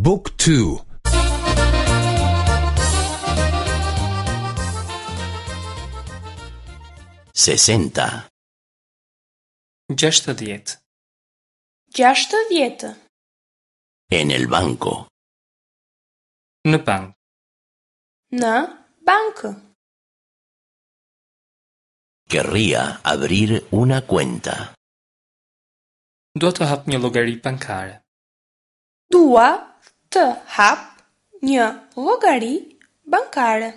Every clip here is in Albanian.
บุ๊กทู 60. 60. 60. En el banco. Në bankë. Në bankë. Querría abrir una cuenta. Dua të hap një llogari bankare. Dua të hap një llogari bankare.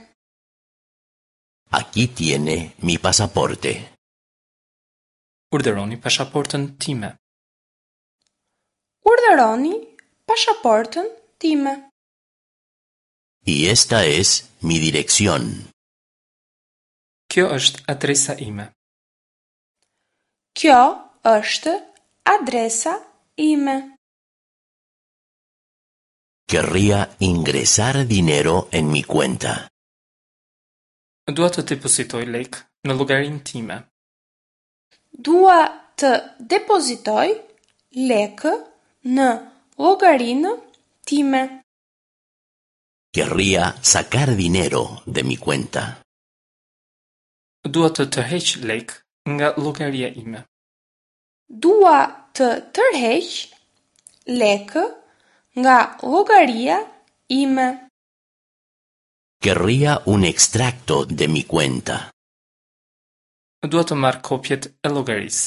Aquí tiene mi pasaporte. Urdhëroni pasaportën time. Urdhëroni pasaportën time. Y esta es mi dirección. Kjo është adresa ime. Kjo është adresa ime. Querría ingresar dinero en mi cuenta. Dua të depozitoj lekë në llogarinë time. Dua të depozitoj lekë në llogarinë time. Querría sacar dinero de mi cuenta. Dua të tërheq lekë nga llogaria ime. Dua të tërheq lekë nga llogaria ime. Querría un extracto de mi cuenta. Dua të marr kopjet e llogarisë.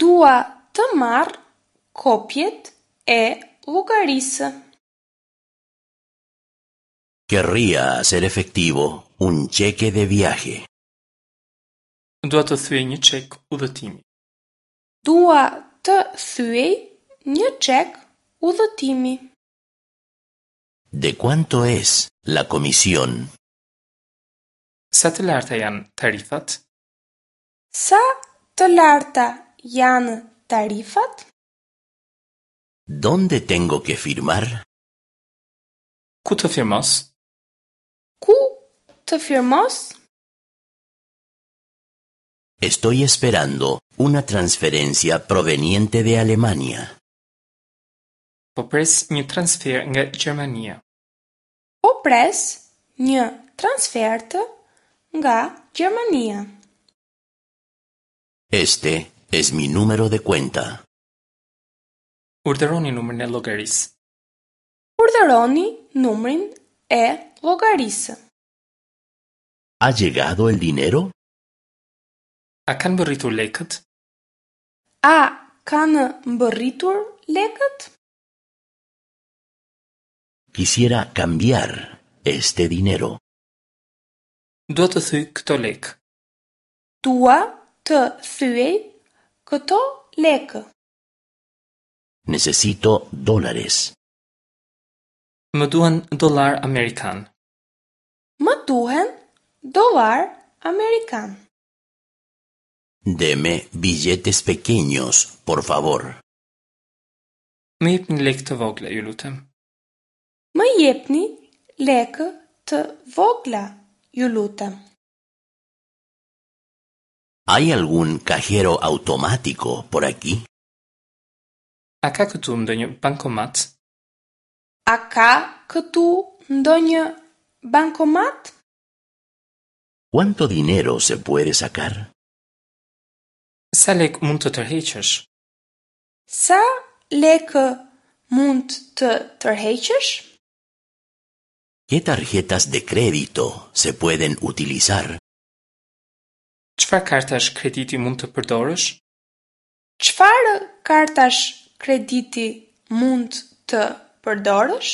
Dua të marr kopjet e llogarisë. Querría hacer efectivo un cheque de viaje. Dua të thyej një çek udhëtimi. Dua të thyej një çek udhëtimi. ¿De cuánto es la comisión? Sa të larta janë tarifat? Sa të larta janë tarifat? ¿Dónde tengo que firmar? Ku të firmos? Ku të firmos? Estoy esperando una transferencia proveniente de Alemania. Po pres një transfer nga Gjermania. Po pres një transfertë nga Gjermania. Este es mi número de cuenta. Urdhëroni numrin e llogarisë. Urdhëroni numrin e llogarisë. ¿Ha llegado el dinero? A kanë mbërritur lekët? A kanë mbërritur lekët? Quisiera cambiar este dinero. Dua të thyej këto lekë. Dua të thyej këto lekë. Necesito dólares. Më duhen dollar amerikan. Më duhen dollar amerikan. Deme billetes pequeños, por favor. Më jepni lekë të vogla, ju lutem. Më jepni lekë të vogla, ju lutem. ¿Hay algún cajero automático por aquí? A ka këtu ndonjë bankomat? A ka këtu ndonjë bankomat? ¿Cuánto dinero se puede sacar? Sa lekë mund të tërheqësh? Sa lekë mund të tërheqësh? ¿Qué tarjetas de crédito se pueden utilizar? Çfarë kartash krediti mund të përdorësh? Çfarë kartash krediti mund të përdorësh?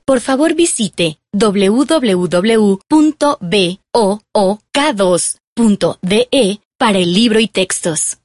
Por favor visite www.book2.de para el libro y textos.